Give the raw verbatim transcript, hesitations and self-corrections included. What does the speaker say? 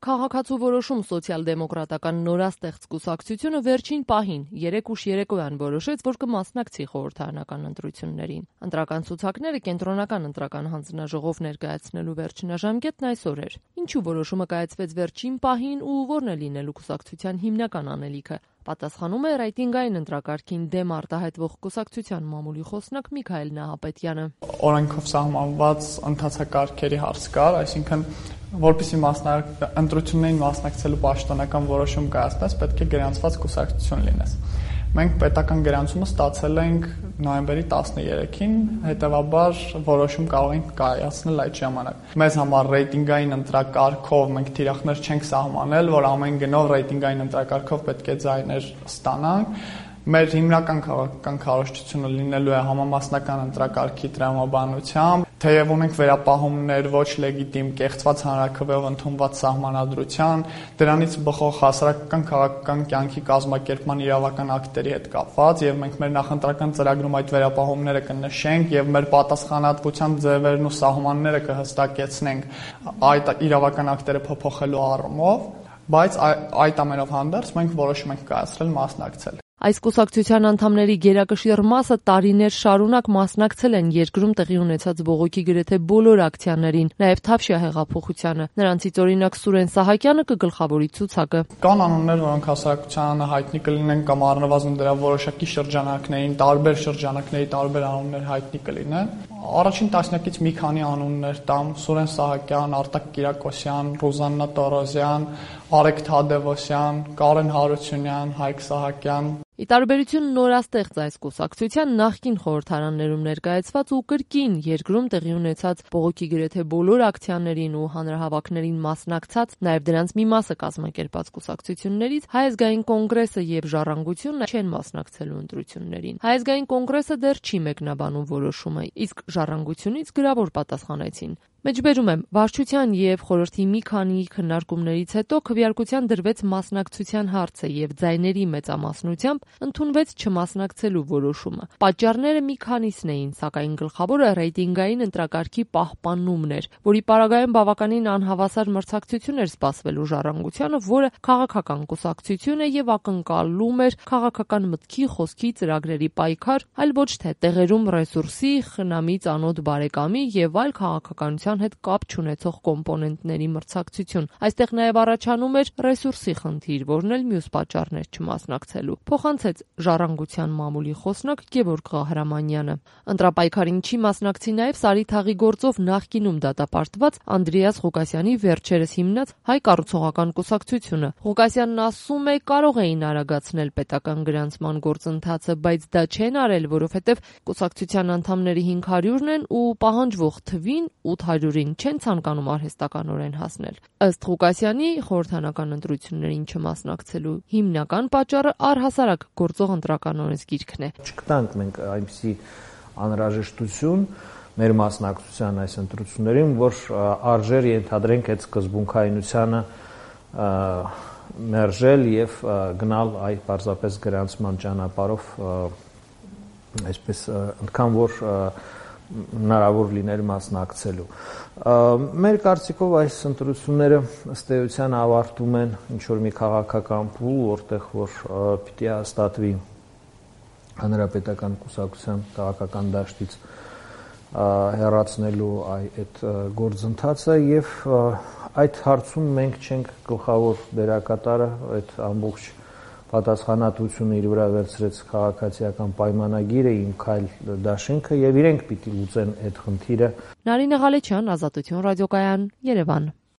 Քաղաքացու որոշում սոցիալ-դեմոկրատական նորաստեղծ կուսակցությունը վերջին պահին երեք ուշ երեկոյան որոշեց, որ կմասնակցի խորհրդարանական ընտրություններին։ Ընտրական ցուցակները կենտրոնական ընտրական հանձնաժողով ներկայացնելու վերջնաժամկետն այսօր էր։ Ինչու որոշումը կայացվեց վերջին պահին ու ո՞րն է լինելու կուսակցության հիմնական անելիքը։ Պատասխանում է ռեյտինգային ընտրակարգին դեմ արտահայտվող կուսակցության մամուլի խոսնակ Միքայել Նահապետյանը։ Օրենքով սահմանված ընթացակարգերի հարց կար, այսինքն որպեսզի ընտրություններին մասնակցելու պաշտոնական որոշում կայացնես, պետք է գրանցված կուսակցություն լինես։ Մենք պետական գրանցումը ստացել ենք նոյեմբերի տասներեքին, հետևաբար որոշում կարող ենք կայացնել այդ ժամանակ։ Մեզ համար ռեյտինգային ընտրակարգով մենք թիրախներ չենք սահմանել, որ ամեն գնով ռեյտինգային ընտրակարգով պետք է ձայներ ստանանք։ Մեր հիմնական քաղաքական քարոզչությունը լինելու է համամասնական ընտրակարգի տրամաբանությամբ, թեև ունենք վերապահումներ ոչ լեգիտիմ կեղծված հանրաքվեով ընդունված սահմանադրության, դրանից բխող հասարակական քաղաքական կյանքի կազմակերպման իրավական ակտերի հետ կապված, եւ մենք մեր նախընտրական ծրագրում այդ վերապահումները կնշենք եւ մեր պատասխանատվության ձևերն ու սահմանները կհստակեցնենք այդ իրավական ակտերը փոփոխելու առումով, բայց այդ ամենով հանդերձ մենք որոշում ենք կայացրել մասնակցել։ Այս կուսակցության անդամների գերակշիռ մասը տարիներ շարունակ մասնակցել են երկրում տեղի ունեցած բողոքի գրեթե բոլոր ակցիաներին, նաև Թավշյա հեղափոխությանը։ Նրանցից օրինակ Սուրեն Սահակյանը կգլխավորի ցուցակը։ Կան անուններ, որոնք հասարակությանը հայտնի կլինեն կամ առնվազն դրա որոշակի շրջանակներին, տարբեր շրջանակների տարբեր անուններ հայտնի կլինեն։ Առաջին տասնյակից մի քանի անուններ տամ՝ Սուրեն Սահակյան, Արտակ Կիրակոսյան, Ռուզաննա Տորոզյան, Արեգ Թադևոսյան, Կարեն Հարությունյան, Հայկ Սահակյան։ Ի տարբերություն նորաստեղծ այս կուսակցության նախկին խորհրդարաններում ներկայացված ու կրկին երկրում տեղի ունեցած բողոքի գրեթե բոլոր ակցիաներին ու հանրահավաքներին մասնակցած, նաև դրանց մի մասը կազմակերպած կուսակցություններից Հայ ազգային կոնգրեսը եւ Ժառանգությունն չեն մասնակցելու ընտրություններին։ Հայ ազգային կոնգրեսը դեռ չի մեկնաբանում որոշումը, իսկ Ժառանգությունից գրավոր պատասխանեցին։ Մեջբերում եմ, վարչության եւ խորհրդի մի քանի քննարկումներից հետո քվեարկության դրվեց մասնակցության հարցը եւ ձայների մեծամասնությամբ ընդունվեց չմասնակցելու որոշումը։ Պատճառները մի քանիսն էին, սակայն գլխավորը ռեյտինգային ընտրակարգի պահպանումն էր, որի պարագայում բավականին անհավասար մրցակցություն էր սպասվելու Ժառանգությանը, որը քաղաքական կուսակցություն է եւ ակնկալում էր քաղաքական մտքի, խոսքի, ծրագրերի պայքար, այլ ոչ թե տեղերում ռեսուրսի, խնամի, ծանոթ բարեկամի եւ այլ քաղաքականության հետ կապ չունեցող կոմպոնենտների մրցակցություն։ Այստեղ նաև առաջանում էր ռեսուրսի խնդիր, որն էլ մյուս պատճառներ չմասնակցելու։ Փոխանցեց Ժառանգության մամուլի խոսնակ Գևորգ Ղահրամանյանը։ Ընտրապայքարին չի մասնակցի նաև Սարիթաղի գործով նախկինում դատապարտված Անդրեաս Ղուկասյանի վերջերս հիմնած Հայ կառուցողական կուսակցությունը։ Ղուկասյանն ասում է, կարող էին արագացնել պետական գրանցման գործընթացը, բայց դա չեն արել, որովհետև կուսակցության անդամների հինգ հարյուրն են ու պահանջվող թվին ութ հարյուրին չեն ցանկանում արհեստականորեն հասնել։ Ըստ Ղուկասյանի, խորհրդարանական ընտրություններին չմասնակցելու հիմնական պատճառը առհասարակ գործող ընտրական օրենսգիրքն է։ Չկտանք մենք այնպիսի անհրաժեշտություն մեր մասնակցության այս ընտրություններին, որ արժեր ենթադրենք այդ սկզբունքայնությանը մերժել եւ գնալ այ պարզապես գրանցման ճանապարհով, այսպես ընդքան որ հնարավոր լիներ մասնակցելու։ Մեր կարծիքով այս ընտրությունները ըստ էության ավարտում են ինչ-որ մի քաղաքական փուլ, որտեղ որ պիտի հաստատվի հանրապետական կուսակցության քաղաքական դաշտից հեռացնելու այդ գործընթացը եւ այդ հարցում մենք չենք գլխավոր դերակատարը, այդ ամբողջ պատասխանատվությունը իր վրա վերցրեց քաղաքացիական պայմանագիրը, Իմ քայլ դաշինքը եւ իրենք պիտի լուծեն այդ խնդիրը։ Նարինե Ղալեչյան, Ազատություն ռադիոկայան, Երևան։